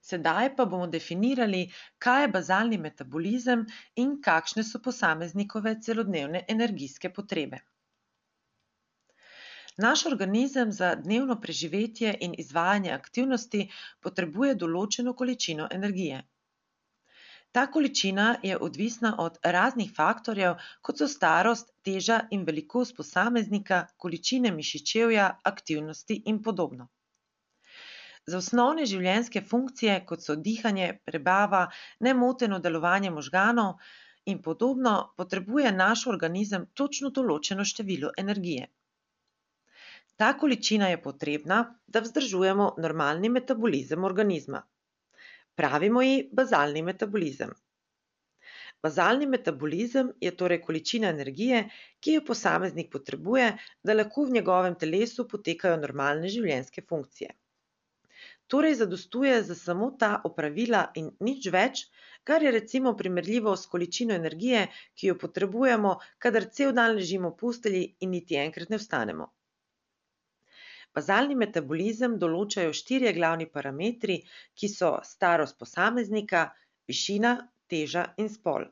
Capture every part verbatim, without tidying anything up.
Sedaj pa bomo definirali, kaj je bazalni metabolizem in kakšne so posameznikove celodnevne energijske potrebe. Naš organizem za dnevno preživetje in izvajanje aktivnosti potrebuje določeno količino energije. Ta količina je odvisna od raznih faktorjev, kot so starost, teža in velikost posameznika, količine mišičevja, aktivnosti in podobno. Za osnovne življenjske funkcije, kot so dihanje, prebava, nemoteno delovanje možganov in podobno, potrebuje naš organizem točno določeno število energije. Ta količina je potrebna, da vzdržujemo normalni metabolizem organizma. Pravimo ji bazalni metabolizem. Bazalni metabolizem je torej količina energije, ki jo posameznik potrebuje, da lahko v njegovem telesu potekajo normalne življenjske funkcije. Torej zadostuje za samo ta opravila in nič več, kar je recimo primerljivo s količino energije, ki jo potrebujemo, kadar cel dan ležimo v postelji in niti enkrat ne vstanemo. Bazalni metabolizem določajo štirje glavni parametri, ki so starost posameznika, višina, teža in spol.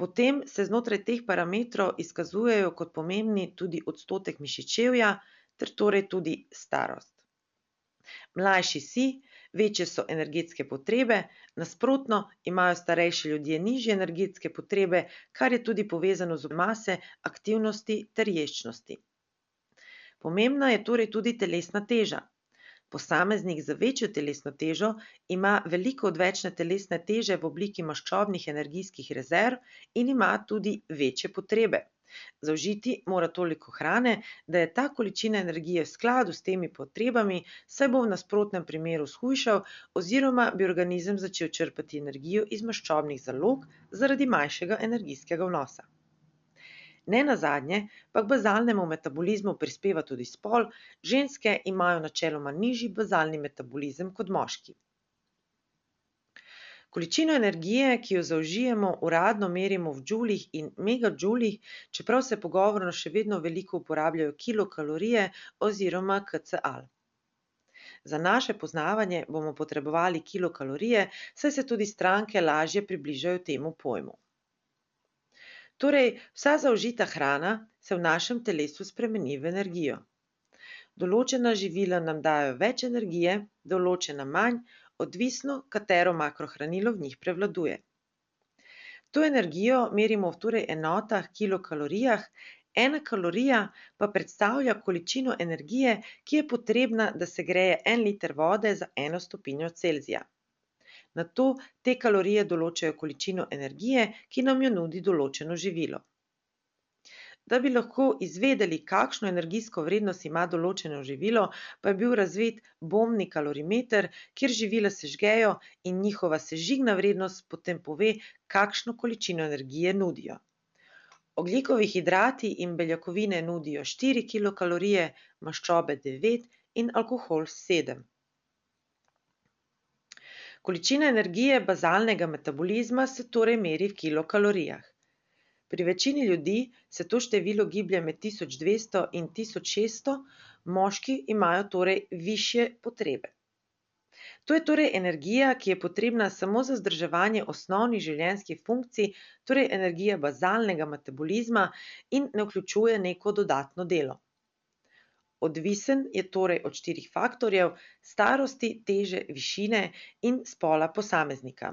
Potem se znotraj teh parametrov izkazujejo kot pomembni tudi odstotek mišičevja ter torej tudi starost. Mlajši si, večje so energetske potrebe, nasprotno imajo starejši ljudje nižje energetske potrebe, kar je tudi povezano z mase, aktivnosti ter ješčnosti. Pomembna je torej tudi telesna teža. Posameznik z večjo telesno težo ima veliko odvečne telesne teže v obliki maščobnih energijskih rezerv in ima tudi večje potrebe. Zaužiti mora toliko hrane, da je ta količina energije v skladu s temi potrebami, saj bo v nasprotnem primeru shujšal oziroma bi organizem začel črpati energijo iz maščobnih zalog zaradi manjšega energijskega vnosa. Nenazadnje pa k bazalnemu metabolizmu prispeva tudi spol, ženske imajo načeloma nižji bazalni metabolizem kot moški. Količino energije, ki jo zaužijemo, uradno merimo v džulih in megadžulih, čeprav se pogovorno še vedno veliko uporabljajo kilokalorije oziroma kcal. Za naše poznavanje bomo potrebovali kilokalorije, saj se tudi stranke lažje približajo temu pojmu. Torej, vsa zaužita hrana se v našem telesu spremeni v energijo. Določena živila nam dajo več energije, določena manj, odvisno, katero makrohranilo v njih prevladuje. To energijo merimo v torej enotah kilokalorijah, ena kalorija pa predstavlja količino energije, ki je potrebna, da segreje en liter vode za eno stopinjo Celzija. Nato te kalorije določajo količino energije, ki nam jo nudi določeno živilo. Da bi lahko izvedeli, kakšno energijsko vrednost ima določeno živilo, pa je bil razvit bombni kalorimeter, kjer živila sežgejo in njihova sežigna vrednost potem pove, kakšno količino energije nudijo. Ogljikovi hidrati in beljakovine nudijo štiri kilokalorije, maščobe devet in alkohol sedem. Količina energije bazalnega metabolizma se torej meri v kilokalorijah. Pri večini ljudi se to število giblje med tisoč dvesto in tisoč šeststo, moški imajo torej višje potrebe. To je torej energija, ki je potrebna samo za vzdrževanje osnovnih življenjskih funkcij, torej energija bazalnega metabolizma in ne vključuje neko dodatno delo. Odvisen je torej od štirih faktorjev: starosti, teže, višine in spola posameznika.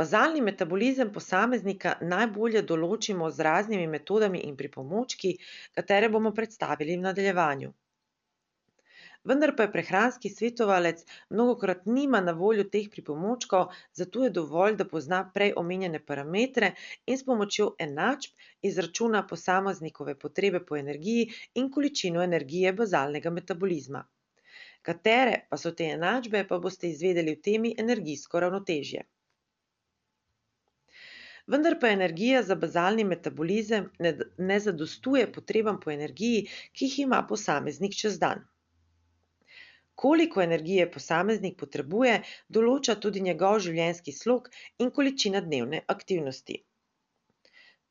Bazalni metabolizem posameznika najbolje določimo z raznimi metodami in pripomočki, katere bomo predstavili v nadaljevanju. Vendar pa je prehranski svetovalec mnogokrat nima na voljo teh pripomočkov, zato je dovolj, da pozna prej omenjene parametre in s pomočjo enačb izračuna posameznikove potrebe po energiji in količino energije bazalnega metabolizma. Katere pa so te enačbe, pa boste izvedeli v temi energijsko ravnotežje. Vendar pa energija za bazalni metabolizem ne, ne zadostuje potrebam po energiji, ki jih ima posameznik čez dan. Koliko energije posameznik potrebuje, določa tudi njegov življenjski slog in količina dnevne aktivnosti.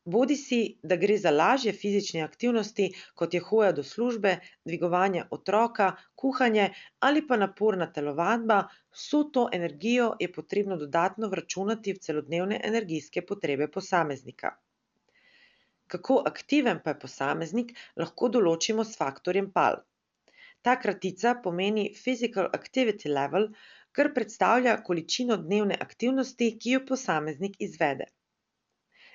Bodisi, da gre za lažje fizične aktivnosti, kot je hoja do službe, dvigovanje otroka, kuhanje ali pa naporna telovadba, vso to energijo je potrebno dodatno vračunati v celodnevne energijske potrebe posameznika. Kako aktiven pa je posameznik, lahko določimo s faktorjem P A L. Ta kratica pomeni Physical Activity Level, kar predstavlja količino dnevne aktivnosti, ki jo posameznik izvede.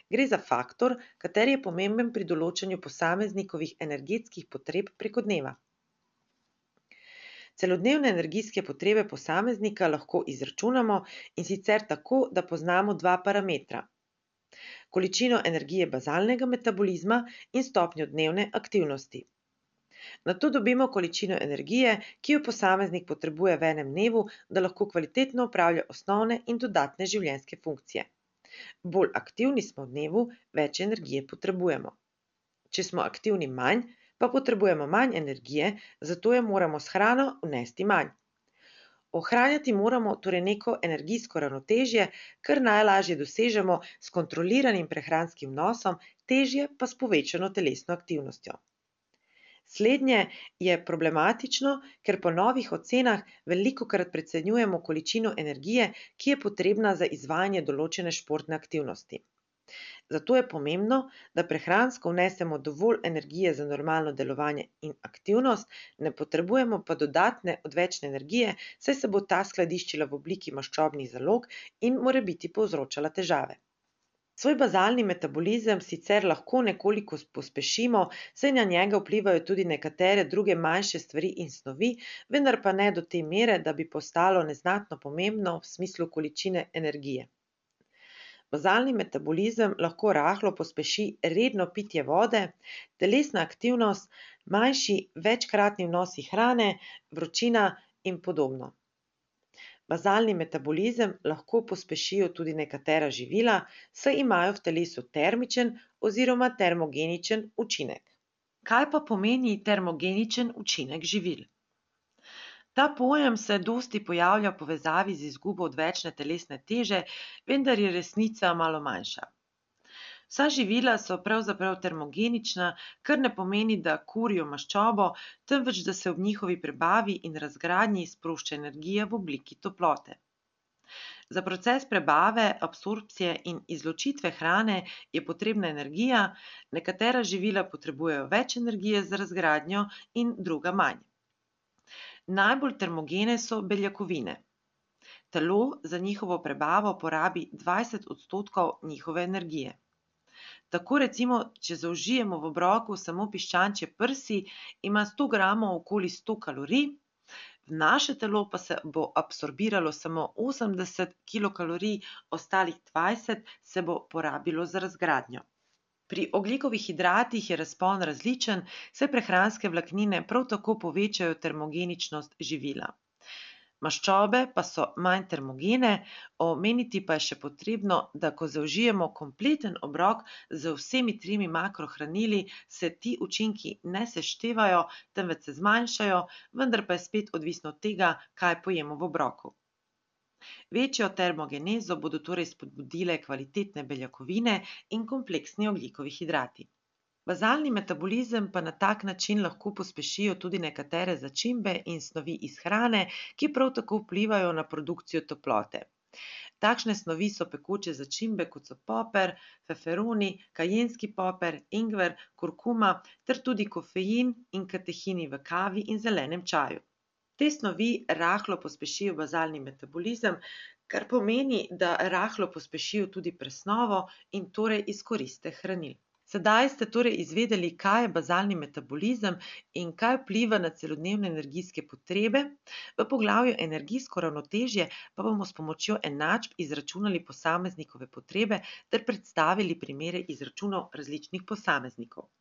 Gre za faktor, kateri je pomemben pri določanju posameznikovih energetskih potreb preko dneva. Celodnevne energijske potrebe posameznika lahko izračunamo, in sicer tako, da poznamo dva parametra: količino energije bazalnega metabolizma in stopnjo dnevne aktivnosti. Nato dobimo količino energije, ki jo posameznik potrebuje v enem dnevu, da lahko kvalitetno opravlja osnovne in dodatne življenjske funkcije. Bolj aktivni smo v dnevu, več energije potrebujemo. Če smo aktivni manj, pa potrebujemo manj energije, zato jo moramo s hrano vnesti manj. Ohranjati moramo torej neko energijsko ravnotežje, kar najlažje dosežemo s kontroliranim prehranskim vnosom, težje pa s povečano telesno aktivnostjo. Slednje je problematično, ker po novih ocenah velikokrat precenjujemo količino energije, ki je potrebna za izvajanje določene športne aktivnosti. Zato je pomembno, da prehransko vnesemo dovolj energije za normalno delovanje in aktivnost, ne potrebujemo pa dodatne odvečne energije, saj se bo ta skladiščila v obliki maščobnih zalog in morebiti povzročala težave. Svoj bazalni metabolizem sicer lahko nekoliko pospešimo, saj na njega vplivajo tudi nekatere druge manjše stvari in snovi, vendar pa ne do te mere, da bi postalo neznatno pomembno v smislu količine energije. Bazalni metabolizem lahko rahlo pospeši redno pitje vode, telesna aktivnost, manjši večkratni vnosi hrane, vročina in podobno. Bazalni metabolizem lahko pospešijo tudi nekatera živila, saj imajo v telesu termičen oziroma termogeničen učinek. Kaj pa pomeni termogeničen učinek živil? Ta pojem se dosti pojavlja v povezavi z izgubo odvečne telesne teže, vendar je resnica malo manjša. Vsa živila so pravzaprav termogenična, kar ne pomeni, da kurijo maščobo, temveč da se ob njihovi prebavi in razgradnji sprošča energija v obliki toplote. Za proces prebave, absorpcije in izločitve hrane je potrebna energija, nekatera živila potrebujejo več energije za razgradnjo in druga manj. Najbolj termogene so beljakovine. Telo za njihovo prebavo porabi dvajset odstotkov njihove energije. Tako recimo, če zaužijemo v obroku samo piščančje prsi, ima sto gramov okoli sto kalorij, v naše telo pa se bo absorbiralo samo osemdeset kilokalorij, ostalih dvajset se bo porabilo za razgradnjo. Pri ogljikovih hidratih je razpon različen, saj prehranske vlaknine prav tako povečajo termogeničnost živila. Maščobe pa so manj termogene, omeniti pa je še potrebno, da ko zaužijemo kompleten obrok z vsemi tremi makrohranili, se ti učinki ne seštevajo, temveč se zmanjšajo, vendar pa je spet odvisno od tega, kaj pojemo v obroku. Večjo termogenezo bodo torej spodbudile kvalitetne beljakovine in kompleksni ogljikovi hidrati. Bazalni metabolizem pa na tak način lahko pospešijo tudi nekatere začimbe in snovi iz hrane, ki prav tako vplivajo na produkcijo toplote. Takšne snovi so pekoče začimbe, kot so poper, feferoni, kajenski poper, ingver, kurkuma ter tudi kofein in katehini v kavi in zelenem čaju. Te snovi rahlo pospešijo bazalni metabolizem, kar pomeni, da rahlo pospešijo tudi presnovo in torej izkoriste hranil. Sedaj ste torej izvedeli, kaj je bazalni metabolizem in kaj vpliva na celodnevne energijske potrebe. V poglavju Energijsko ravnotežje pa bomo s pomočjo enačb izračunali posameznikove potrebe ter predstavili primere izračunov različnih posameznikov.